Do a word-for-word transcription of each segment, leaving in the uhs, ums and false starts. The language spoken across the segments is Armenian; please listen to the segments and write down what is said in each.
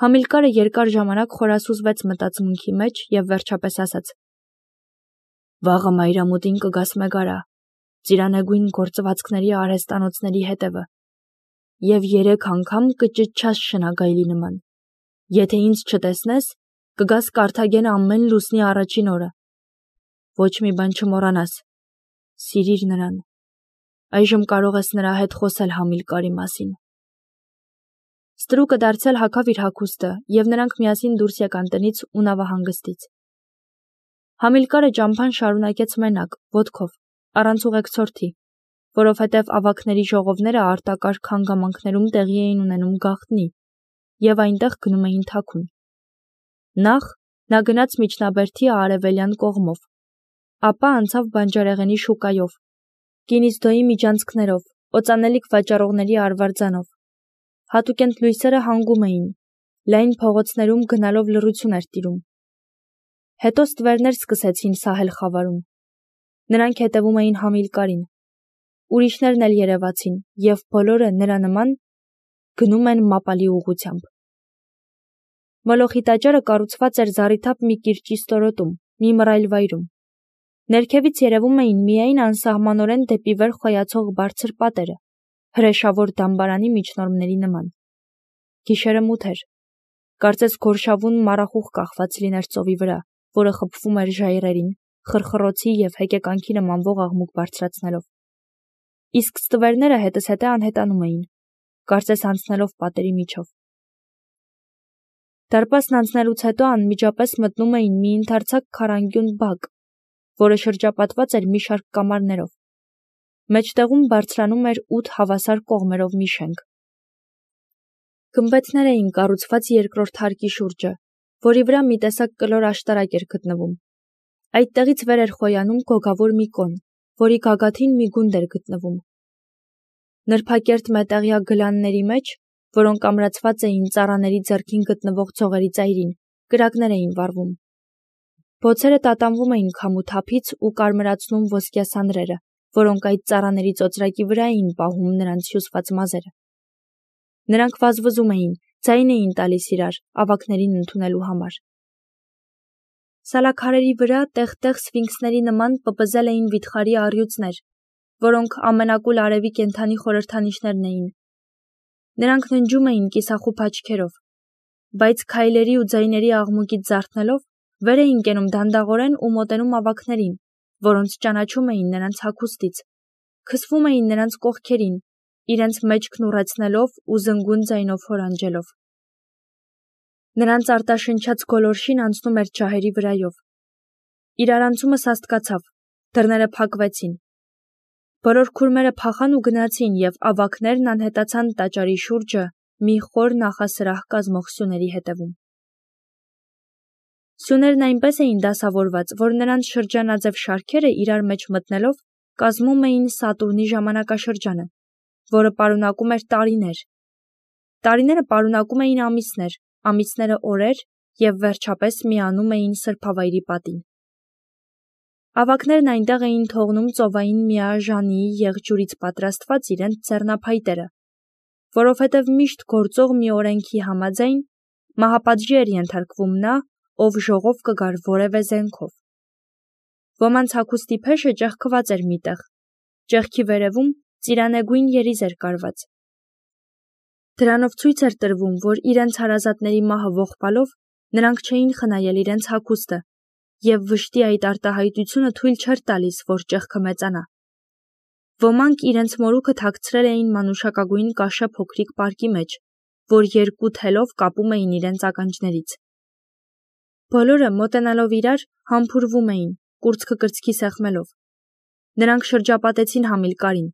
Համիլկարը երկար ժամանակ խորասուզվեց մտածմունքի մեջ և վերջապես ասաց. «Վաղը մայրամուտին կգաս մեգարա, ծիրանեգույն գործվածքների արհեստանոցների հետևը, և երեք անգամ կճչաս շնագայլի նման։ Եթե ինձ չտեսնես, կգաս Կարթագենը ամեն լուսնի առաջին օրը։ Ոչ մի բան չմոռանաս, սիրիր նրան։ Այժմ կարող ես նրա հետ խոսել Համիլկարի մասին»։ Ստրուկը դարձյալ հագավ իր հագուստը, և նրանք միասին դուրս եկան տնից ու նավահանգստից։ Համիլկարը ճամփան շարունակեց մենակ, ոտքով, առանց ուղեկցորդի, որովհետև ավագների ժողովները արտակարգ հանգամանքներում տեղի էին ունենում գաղտնի, և այնտեղ գնում էին թաքուն։ Նախ նա գնաց միջնաբերդի արևելյան կողմով, ապա անցավ բանջարեղենի շուկայով, Կինիզդոյի միջանցքներով, օծանելիք վաճառողների արվարձանով։ Հատուկենտ լույսերը հանգում էին, լայն փողոցներում գնալով լռություն էր տիրում։ Հետո ստվերներ սկսեցին սահել խավարում։ Նրանք հետևում էին Համիլկարին։ Ուրիշներն էլ երևացին, և բոլորը նրա նման գնում են մապալի ուղղությամբ։ Մոլոխի տաճարը կառուցված էր զառիթափ մի կիրճի ստորոտում, մի մռայլ վայրում։ Ներքևից երևում էին միայն անսահմանորեն դեպի վեր խոյացող բարձր պատերը, հրեշավոր դամբարանի միջնորմերի նման։ Գիշերը մութ էր։ Կարծես գորշավուն մառախուղ կախված լիներ ծովի վրա, որը խփվում էր ժայռերին, խրխռոցի և հեկեկանքի նմանվող աղմուկ բարձրացնելով։ Իսկ ստվերները հետզհետե անհետանում էին, կարծես անցնելով պատերի միջով։ Դարպասն անցնելուց հետո անմիջապես մտնում էին մի ընդարձակ քառանկյուն բակ, որը շրջապատված էր մի շարք կամարներով։ Մեջտեղում բարձրանում էր ութ հավասար կողմերով մի շենք։ Գմբեթներ էին կառուցված երկրորդ հարկի շուրջը, որի վրա մի տեսակ կլոր աշտարակ էր գտնվում։ Այդտեղից վեր էր խոյանում գոգավոր մի կոն, որի գագաթին մի գունդ էր գտնվում։ Նրբակերտ մետաղյա գլանների մեջ, որոնք ամրացված էին ծառաների ձեռքին գտնվող ցողերի ծայրին, կրակներ էին վառվում։ Բոցերը տատանվում էին քամու թափից ու կարմրացնում ոսկյա սանրերը, որոնք այդ ծառաների ծոծրակի վրա էին պահում նրանց հյուսված մազերը։ Նրանք վազվզում էին, ձայն էին տալիս իրար, ավագներին ընդունելու համար։ Սալաքարերի վրա տեղ-տեղ սֆինքսների նման պպզել էին վիթխարի առյուծներ, որոնք ամենակուլ արևի կենդանի խորհրդանիշներն էին։ Նրանք ննջում էին կիսախուփ աչքերով, բայց քայլերի ու ձայների աղմուկից զարթնելով վեր էին կենում դանդաղորեն ու մոտենում ավագներին, որոնց ճանաչում էին նրանց հագուստից, քսվում էին նրանց կողքերին, իրենց մեջքն ուռեցնելով ու զնգուն ձայնով հորանջելով։ Նրանց արտաշնչած գոլորշին անցնում էր ջահերի վրայով։ Իրարանցումը սաստկացավ, դռները փակվեցին։ Բոլոր քուրմերը փախան ու գնացին, և ավագներն անհետացան տաճարի շուրջը մի խոր նախասրահ կազմող սյուների հետևում։ Սյուներն այնպես էին դասավորված, որ նրանց շրջանաձև շարքերը իրար մեջ մտնելով կազմում էին Սատուրնի ժամանակաշրջանը, որը պարունակում էր տարիներ։ Տարիները պարունակում էին ամիսներ, ամիսները օրեր և վերջապես միանում էին սրբավայրի պատին։ Ավագներն այնտեղ էին թողնում ծովային միաժանի եղջյուրից պատրաստված իրենց ձեռնափայտերը, որովհետև միշտ գործող մի օրենքի համաձայն մահապատժի էր ենթարկվում նա, ով ժողով կգար որևէ զենքով։ Ոմանց հագուստի փեշը ճեղքված էր միտեղ, ճեղքի վերևում ծիրանեգույն երիզ էր կարված։ Դրանով ցույց էր տրվում, որ իրենց հարազատների մահը ողբալով նրանք չէին խնայել իրենց հագուստը, և վշտի այդ արտահայտությունը թույլ չէր տալիս, որ ճեղքը մեծանա։ Ոմանք իրենց մորուքը թաքցրել էին մանուշակագույն կաշե փոքրիկ պարկի մեջ, որ երկու թելով կապում էին իրենց ականջներից։ Բոլորը մոտենալով իրար համբուրվում էին, կուրծքը կրծքի սեղմելով։ Նրանք շրջապատեցին Համիլկարին,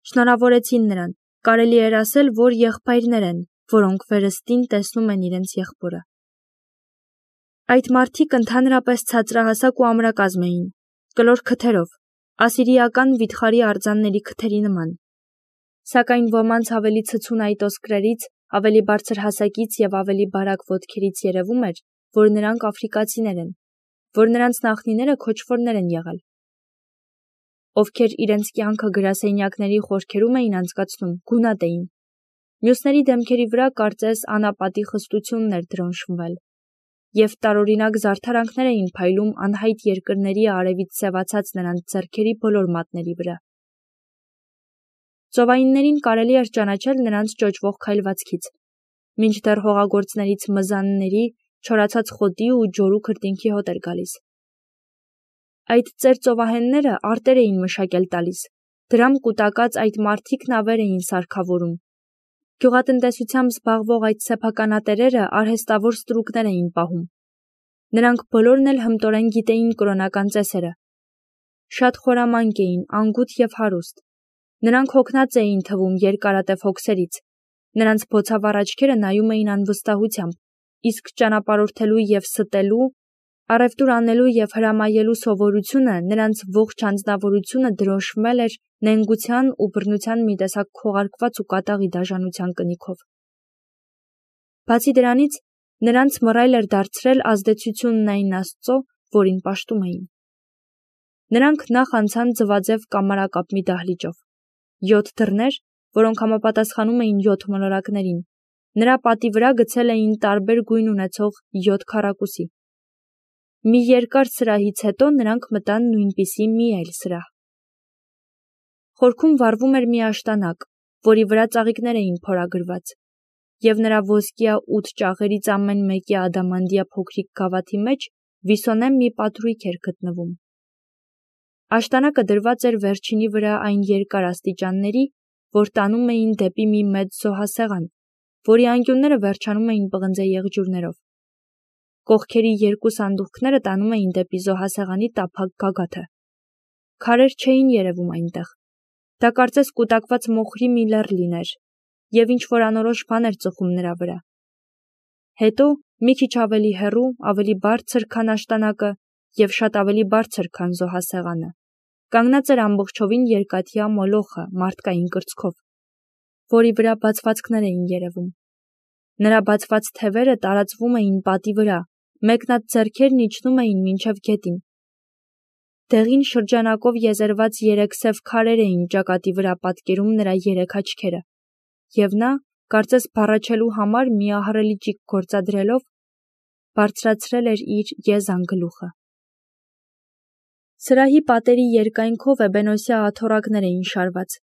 շնորհավորեցին նրան, կարելի էր ասել, որ եղբայրներ են, որոնք վերստին տեսնում են իրենց եղբորը։ Այդ մարդիկ ընդհանրապես ցածրահասակ ու ամրակազմ էին, կլոր քթերով, ասիրիական վիթխարի արձանների քթերի նման։ Սակայն ոմանց ավելի ցցուն այտոսկրերից, ավելի բարձր հասակից և ավելի բարակ ոտքերից երևում էր, որ նրանք աֆրիկացիներ են, որ նրանց նախնիները քոչվորներ են եղել, ովքեր իրենց կյանքը գրասենյակների խորքերում էին անցկացնում, գունատ էին։ Մյուսների դեմքերի վրա կարծես անապատի խստությունն էր դրոնշմվել, և տարօրինակ զարդարանքներ էին փայլում անհայտ երկրների արևից սևացած նրանց ձեռքերի բոլոր մատների վրա։ Ծովայիններին կարելի էր ճանաչել նրանց ճոճվող քայլվածքից, մինչդեռ հողագործներից մզանների, չորացած խոտի ու ջորու քրտինքի հոտ էր գալիս։ Այդ ծեր ծովահենները արտեր էին մշակել տալիս, դրամ կուտակած այդ մարդիկ նավեր էին սարքավորում։ Գյուղատնտեսությամբ զբաղվող այդ սեփականատերերը արհեստավոր ստրուկներ էին պահում։ Նրանք բոլորն էլ հմտորեն գիտեին կրոնական ծեսերը։ Շատ խորամանկ էին, անգութ և հարուստ։ Նրանք հոգնած էին թվում երկարատև հոգսերից։ Նրանց բոցավառ աչքերը նայում էին անվստահությամբ, իսկ ճանապարհորդելու և ստելու, առևտուր անելու և հրամայելու սովորությունը, նրանց ողջ անձնավորությունը դրոշմվել էր նենգության ու բռնության մի տեսակ քողարկված ու կատաղի դաժանության կնիքով։ Բացի դրանից, նրանց մռայլ էր դարձրել ազդեցությունն այն Աստծո, որին պաշտում էին։ Նրանք նախ անցան ձվաձև կամարակապ մի դահլիճով։ Յոթ դռներ, որոնք համապատասխանում էին յոթ մոլորակներին, նրա պատի վրա գցել էին տարբեր գույն ունեցող յոթ քառակուսի։ Մի երկար սրահից հետո նրանք մտան նույնպիսի մի այլ սրահ։ Խորքում վառվում էր մի աշտանակ, որի վրա ծաղիկներ էին փորագրված, և նրա ոսկյա ութ ճաղերից ամեն մեկի ադամանդյա փոքրիկ գավաթի մեջ վիսոնե մի պատրույգ էր գտնվում։ Աշտանակը դրված էր վերջինի վրա այն երկար աստիճանների, որ տանում էին դեպի մի մեծ զոհասեղան, որի անկյունները վերջանում էին պղնձե եղջյուրներով։ Կողքերի երկու սանդուղքները տանում էին դեպի զոհասեղանի տափակ գագաթը։ Քարեր չէին երևում այնտեղ։ Դա կարծես կուտակված մոխրի մի լեռ լիներ, և ինչ-որ անորոշ բան էր ծխում նրա վրա։ Հետո, մի քիչ ավելի հեռու, ավելի բարձր, քան աշտանակը, և շատ ավելի բարձր, քան զոհասեղանը, կանգնած էր ամբողջովին երկաթյա մոլոխը մարդկային կրծքով, որի վրա բացվածքներ էին երևում։ Նրա բացված թևերը տարածվում էին պատի վրա, մեկնած ձեռքերն իջնում էին մինչև գետին։ Դեղին շրջանակով եզերված երեք սև քարեր էին ճակատի վրա պատկերում նրա երեք աչքերը, և նա, կարծես բառաչելու համար մի ահռելի ճիգ գործադրելով, բարձրացրել էր իր եզան գլուխը։ Սրահի պատերի երկայնքով էբենոսյա աթոռակներ էին շարված։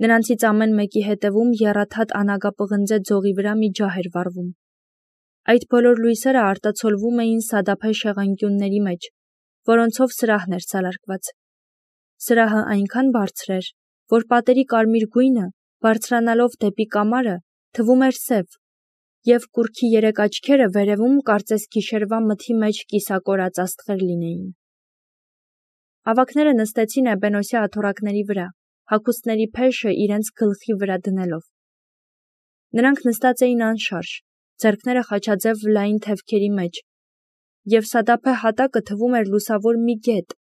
Նրանցից ամեն մեկի հետևում եռաթաթ անագապղնձե ձողի վրա մի ջահ էր վառվում։ Այդ բոլոր լույսերը արտացոլվում էին սադափե շեղանկյունների մեջ, որոնցով սրահն էր սալարկված։ Սրահը այնքան բարձր էր, որ պատերի կարմիր գույնը, բարձրանալով դեպի կամարը, թվում էր սև, և կուռքի երեք աչքերը վերևում կարծես գիշերվա մթի մեջ կիսակորած աստղեր լինեին։ Ավագները նստեցին էբենոսյա աթոռակների վրա, հագուստների փեշը իրենց գլխի վրա դնելով։ Նրանք նստած էին անշարժ, ձեռքները խաչաձև լայն թևքերի մեջ, և սադափե հատակը թվում էր լուսավոր մի գետ,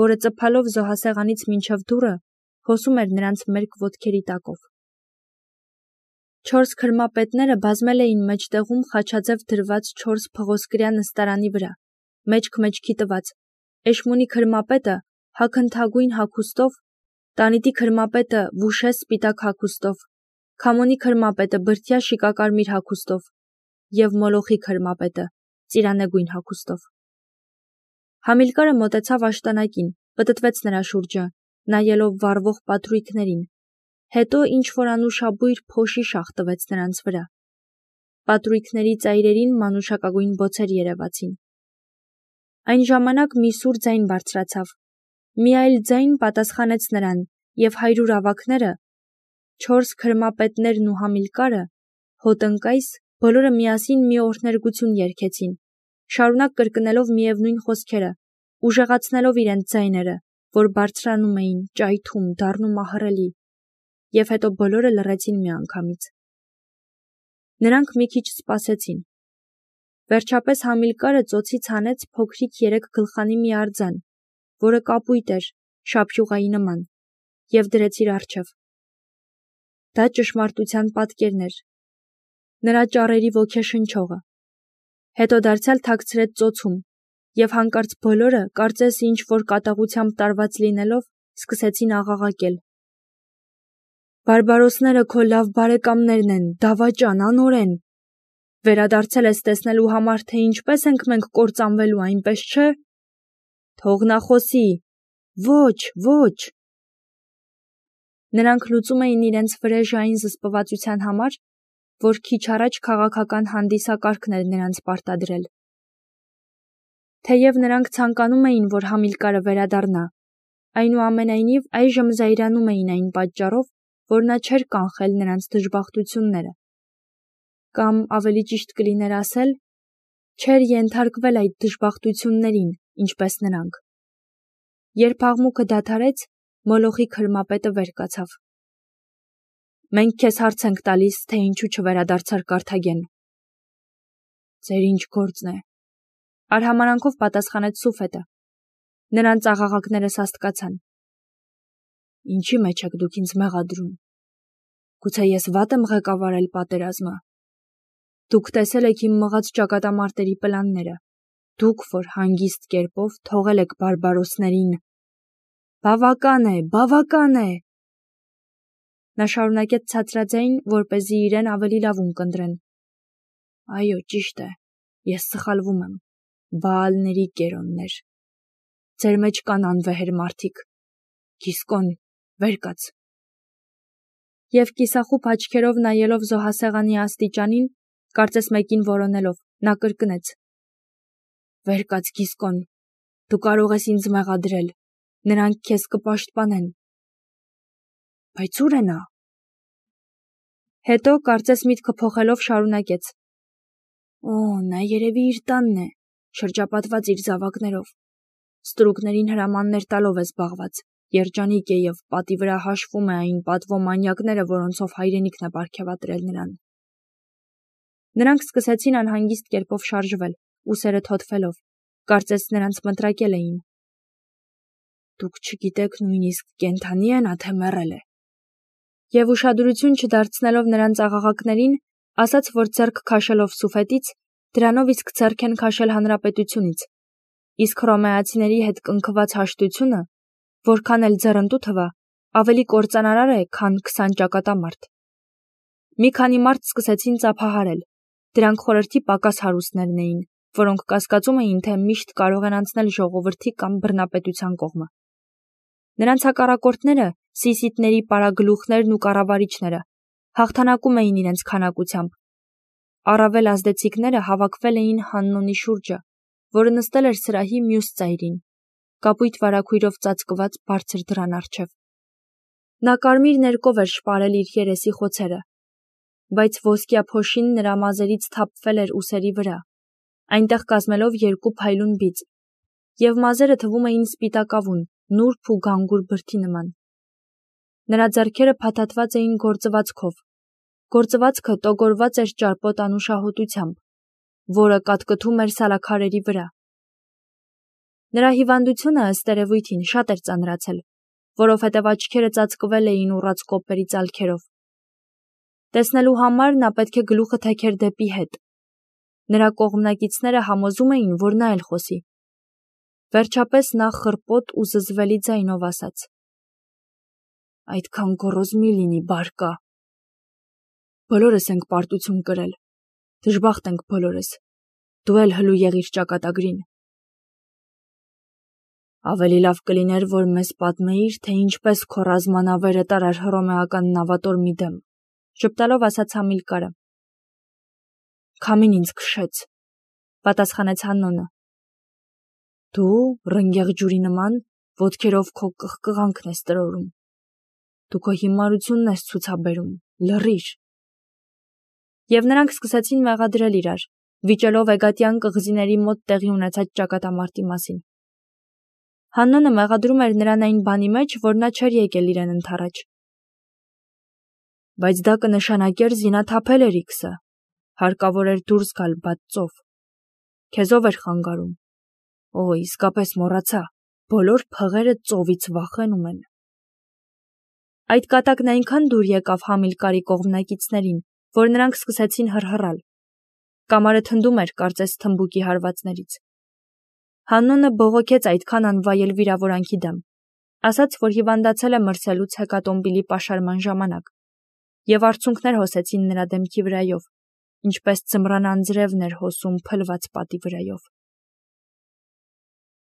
որը ծփալով զոհասեղանից մինչև դուռը հոսում էր նրանց մերկ ոտքերի տակով։ Չորս քրմապետները բազմել էին մեջտեղում խաչաձև դրված չորս փղոսկրյա նստարանի վրա, մեջք-մեջքի տված, Էշմունի քրմապետը հագընթագույն հագուստով, Տանիտի քրմապետը վուշե սպիտակ հագուստով, Քամոնի քրմապետը բրդյա շիկակարմիր հագուստով և Մոլոխի քրմապետը ծիրանեգույն հագուստով։ Համիլկարը մոտեցավ աշտանակին, պտտվեց նրա շուրջը, նայելով վառվող պատրույգներին, հետո ինչ-որ անուշաբույր փոշի շաղ տվեց նրանց վրա։ Պատրույգների ծայրերին մանուշակագույն բոցեր երևացին։ Այն ժամանակ մի սուր ձայն բարձրացավ։ Մի այլ ձայն պատասխանեց նրան, և հայրուր ավագները, չորս քրմապետներն ու Համիլկարը, հոտնկայս, բոլորը միասին մի օրհներգություն երգեցին, շարունակ կրկնելով միևնույն խոսքերը, ուժեղացնելով իրենց ձայները, որ բարձրանում էին, ճայթում, դառնում ահռելի, և հետո բոլորը լռեցին միանգամից։ Նրանք մի քիչ սպասեցին։ Վերջապես Համիլկարը ծոցից հանեց փոքրիկ երեք գլխանի մի արձան, որը կապույտ էր, շափյուղայի նման, և դրեց իր առջև։ Դա ճշմարտության պատկերն էր, նրա ճառերի ոգեշնչողը։ Հետո դարձյալ թաքցրեց ծոցում, և հանկարծ բոլորը, կարծես ինչ-որ կատաղությամբ տարված լինելով, սկսեցին աղաղակել։ Բարբարոսները քո լավ բարեկամներն են, դավաճան, անօրեն։ Վերադարձել ես տեսնելու համար, թե ինչպես ենք մենք կործանվելու, այնպես չէ։ Թող նա խոսի։ Ոչ, ոչ։ Նրանք լուծում էին իրենց վրեժային զսպվածության համար, որ քիչ առաջ քաղաքական հանդիսակարգն էր նրանց պարտադրել։ Թեև նրանք ցանկանում էին, որ Համիլկարը վերադառնա, այնուամենայնիվ այժմ զայրանում էին այն պատճառով, որ նա չէր կանխել նրանց դժբախտությունները։ Կամ ավելի ճիշտ կլիներ ասել, չէր ենթարկվել այդ դժբախտություններին, ինչպես նրանք։ Երբ աղմուկը դադարեց, Մոլոխի քրմապետը վեր կացավ։ Մենք քեզ հարց ենք տալիս, թե ինչու չվերադարձար Կարթագեն։ Ձեր ինչ գործն է։ Արհամարանքով պատասխանեց Սուֆետը։ Նրանց աղաղակները սաստկացան։ Ինչի մեջ եք դուք ինձ մեղադրում։ Գուցե ես վատ եմ ղեկավարել պատերազմը։ Դուք տեսել եք իմ մղած ճակատամարտերի պլանները։ Դուք, որ հանգիստ կերպով թողել եք բարբարոսներին։ Բավական է, բավական է։ Նա շարունակեց ցածրաձայն, որպեսզի իրեն ավելի լավ ունկնդրեն։ Այո, ճիշտ է, ես սխալվում եմ, Բաալների կերոններ։ Ձեր մեջ կան անվեհեր մարդիկ։ Գիսկոն, վեր կաց։ Եվ կիսախուփ աչքերով նայելով զոհասեղանի աստիճանին, կարծես մեկին որոնելով, նա կրկնեց. Վեր կաց, Գիսկոն, դու կարող ես ինձ մեղադրել, նրանք քեզ կպաշտպանեն։ Բայց ուր է նա։ Հետո կարծես միտքը փոխելով շարունակեց. Օ, նա երևի իր տանն է, շրջապատված իր զավակներով։ Ստրուկներին հրամաններ տալով է զբաղված, երջանիկ է եւ պատի վրա հաշվում է այն պատվոմանյակները, որոնցով հայրենիքն է պարգևատրել նրան։ Նրանք սկսեցին անհանգիստ կերպով շարժվել, ուսերը թոթվելով, կարծես նրանց մտրակել էին։ Դուք չգիտեք նույնիսկ կենթանի է նա, թե մեռել է։ Եվ ուշադրություն չդարձնելով նրանց աղաղակներին, ասաց, որ ձեռք քաշելով Սուֆետից, դրանով իսկ ձեռք են քաշել հանրապետությունից, իսկ հռոմեացիների հետ կնքված հաշտությունը, որքան էլ ձեռնտու թվա, ավելի կործանարար է, քան քսան ճակատամարտ։ Մի քանի մարդ սկսեցին ծափահարել, դրանք խորհրդի պակաս հարուստներն էին, որոնք կասկածում էին, թե միշտ կարող են անցնել ժողովրդի կամ բռնապետության կողմը։ Նրանց հակառակորդները, սիսիտների պարագլուխներն ու կառավարիչները, հաղթանակում էին իրենց քանակությամբ։ Առավել ազդեցիկները հավաքվել էին Հաննոնի շուրջը, որը նստել էր սրահի մյուս ծայրին, կապույտ վարագույրով ծածկված բարձր դռան առջև։ Նա կարմիր ներկով էր շպարել իր երեսի խոցերը, բայց ոսկյա փոշին նրա մազերից թափվել էր ուսերի վրա, այնտեղ կազմելով երկու փայլուն բիծ, եւ մազերը թվում էին սպիտակավուն, նուրբ ու գանգուր բրդի նման։ Նրա ձեռքերը փաթաթված էին գործվածքով։ Գործվածքը տոգորված էր ճարպոտ անուշահոտությամբ, որը կատկթում էր սալաքարերի վրա։ Նրա հիվանդությունը ըստ երևույթին շատ էր ծանրացել, որովհետև աչքերը ծածկվել էին ուռած կոպերի ծալքերով։ Տեսնելու համար նա պետք է գլուխը թեքեր դեպի հետ։ Նրա կողմնակիցները համոզում էին, որ նա էլ խոսի։ Վերջապես նա խռպոտ ու զզվելի ձայնով ասաց. Այդքան գոռոզ մի լինի, բարկա։ Բոլորս ենք պարտություն կրել, դժբախտ ենք բոլորս, դու էլ հլու եղիր ճակատագրին։ Ավելի լավ կլիներ, որ մեզ պատմեիր, թե ինչպես քո ռազմանավերը տարար հռոմեական նավատորմի դեմ, ժպտալով ասաց Համիլկարը։ Քամին ինձ քշեց, պատասխանեց Հաննոնը։ Դու, ռնգեղ ջուրի նման, ոտքերով քո կղկղանքն ես տրորում։ Դու քո հիմարությունն ես ցուցաբերում, լռիր։ Եվ նրանք սկսեցին մեղադրել իրար, վիճելով էգատյան կղզիների մոտ տեղի ունեցած ճակատամարտի մասին։ Հաննոնը մեղադրում էր նրան այն բանի մեջ, որ նա չէր եկել իրեն ընդառաջ։ Բայց դա կնշանակեր զինաթափել Էրիքսը, հարկավոր էր դուրս գալ բաց ծով։ Քեզով էր խանգարում։ Օ, իսկապես մոռացա, բոլոր փղերը ծովից վախենում են։ Այդ կատակն այնքան դուր եկավ Համիլկարի կողմնակիցներին, որ նրանք սկսեցին հռհռալ։ Կամարը թնդում էր, կարծես թմբուկի հարվածներից։ Հաննոնը բողոքեց այդքան անվայել վիրավորանքի դեմ, ասաց, որ հիվանդացել է մրսելուց հեկատոմբիլի պաշարման ժամանակ, եւ արցունքներ հոսեցին նրա դեմքի վրայով, ինչպես ձմռան անձրևն էր հոսում փլված պատի վրայով։